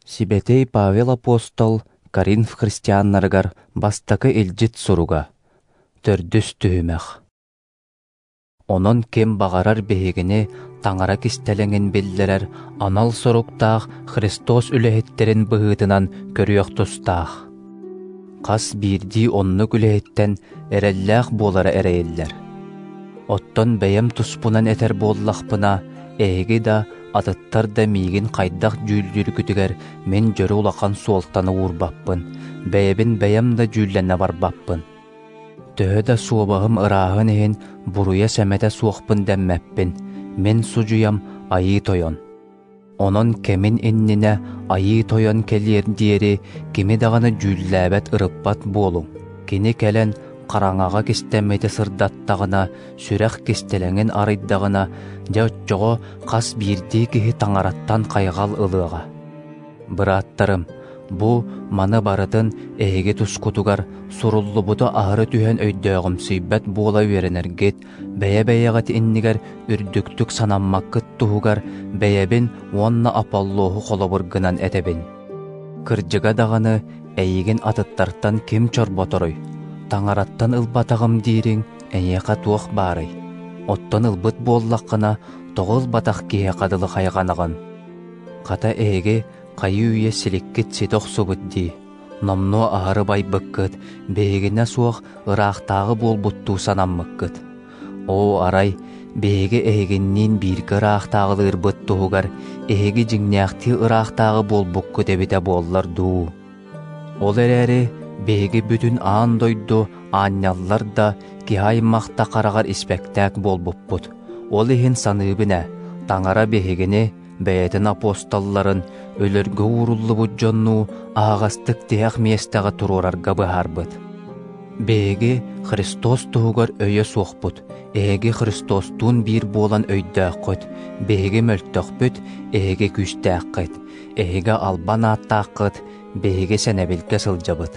Сибэтиэй Павел апостол Коринф христианнарыгар бастакы илдьит суруга. Төрдүс түһүмэх. Онон ким баҕарар биһигини Таҥара кистэлэҥин биллэрэр анал соруктаах Христос үлэһиттэрин быһыытынан көрүөх тустаах. Хас биирдии оннук үлэһиттэн эрэллээх буолара эрэйиллэр. Оттон бэйэм туспунан этэр буоллахпына, эһиги да, атыттар да миигин хайдах дьүүллүүргүтүгэр мин дьөрү улахан суолтаны уурбаппын, бэйэбин бэйэм да дьүүллэнэ барбаппын. Төһө да суобаһым ырааһын иһин буруйа-сэмэтэ суохпун дэммэппин, мин судьуйам Айыы Тойон. Онон кэмин иннинэ Айыы Тойон кэлиэр диэри кими даҕаны дьүүллээбэт ырыппат буолуҥ. Кини кэлэн хараҥаҕа кистэммити сырдаттаҕына, сүрэх кистэлэҥин арыйдаҕына, дьэ оччоҕо хас биирдии киһи Таҥараттан хайҕал ылыаҕа. Бырааттарым, бу маны барытын эһиги тускутугар суруллубуту аһары түһэн өйдөөҕүмсүйбэт буола үөрэнэргит, бэйэ-бэйэҕит иннигэр үрдүктүк санаммаккыт туһугар бэйэбин уонна Аполлоһу холобур гынан этэбин. Кырдьыга даҕаны, эйигин атыттартан ким чорботоруй? Таҥараттан ылбатаҕым диириҥ эйиэхэ туох баарый? Оттон ылбыт буоллаххына, тоҕо ылбатах киһиэхэ дылы хайҕанаҕын? Хата эһиги хайыы-үйэ силиккит ситэ охсубут дии, номнуо аһары байбыккыт, биһигинэ суох ыраахтааҕы буолбуттуу санаммыккыт. Оо, арай, биһиги эһигинниин бииргэ ыраахтааҕылыырбыт туһугар эһиги дьиҥнээхтии ыраахтааҕы буолбуккут эбитэ буоллар дуу? Ол эрээри биһиги бүтүн аан дойду аанньаллар да, киһи аймах да хараҕар испэктээк буолбуппут. Ол иһин саныыбын ээ, Таҥара биһигини, бэйэтин апостолларын, өлөргө ууруллубут дьоннуу аһаҕастык тиһэх миэстэҕэ туруорарга быһаарбыт. Биһиги Христос туһугар өйө суохпут, эһиги Христостуун биир буолан өйдөөххүт, биһиги мөлтөхпүт, эһиги күүстээххит, эһиги албан ааттааххыт, биһиги сэнэбилгэ сылдьабыт.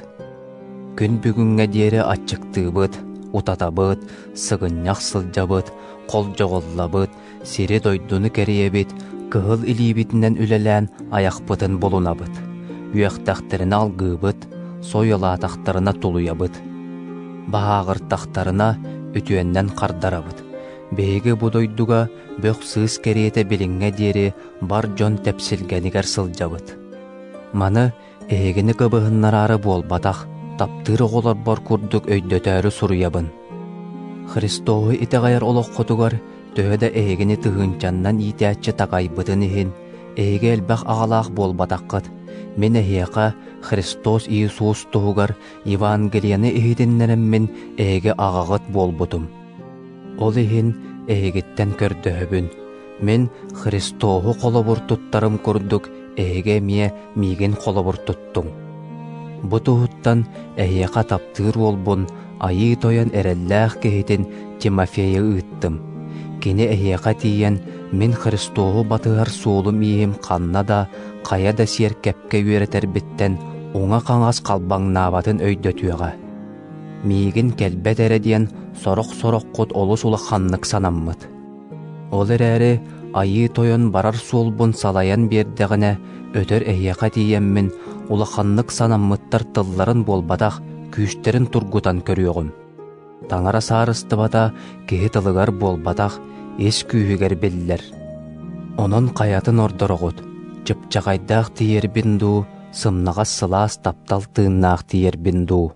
Күн бүгүҥҥэ диэри аччыктыыбыт, утатабыт, сыгынньах сылдьабыт, холдьоҕуллабыт, сири-дойдуну кэрийэбит, кыһыл илиибитинэн үлэлээн айахпытын булунабыт. Үөхтэхтэринэ алгыыбыт, сойуолаатахтарына тулуйабыт. Баһааҕыртахтарына үтүөннэн хардарабыт. Биһиги бу дойдуга бөх-сыыс кэриэтэ билиҥҥэ диэри бар дьон тэпсилгэнигэр сылдьабыт. Маны эһигини кыбыһыннараары буолбатах, таптыыр оҕолорбор курдук өйдөтөөрү суруйабын. Христоһу итэҕэйэр олоххутугар төһө да эһигини тыһыынчаннан иитээччи такайбытын иһин, эһиги элбэх аҕалаах буолбатаххыт. Мин эһиэхэ Христос Иисус туһугар Евангелиены иһитиннэрэммин эһиги аҕаҕыт буолбутум. Ол иһин эһигиттэн көрдөһөбүн, мин Христоһу холобур туттарым курдук эһиги эмиэ миигин холобур туттуҥ. Бу туһуттан эһиэхэ таптыыр уолбун Айыы Тойон эрэллээх киһитин Тимофейы ыыттым. Кини эһиэхэ тиийэн, мин Христоһу батыһар суолум-ииһим ханна да, хайа да сиэркэпкэ үөрэтэрбиттэн уҥа-хаҥас халбаҥнаабатын өйдөтүөҕэ. Миигин кэлбэт эрэ диэн сорох-сороххут олус улаханнык санаммыт. Ол эрээри Айыы Тойон барар суолбун салайан биэрдэҕинэ, өтөр эһиэхэ тиийэммин, улаханнык санаммыттар тылларын буолбатах, күүстэрин тургутан көрүөҕүм. Таҥара саарыстыбата киһи тылыгар буолбатах, ис күүһүгэр биллэр. Онон хайатын ордороҕут, чыпчахайдаах тиийэрбин дуу, сымнаҕас сылаас таптал тыыннаах тиийэрбин дуу?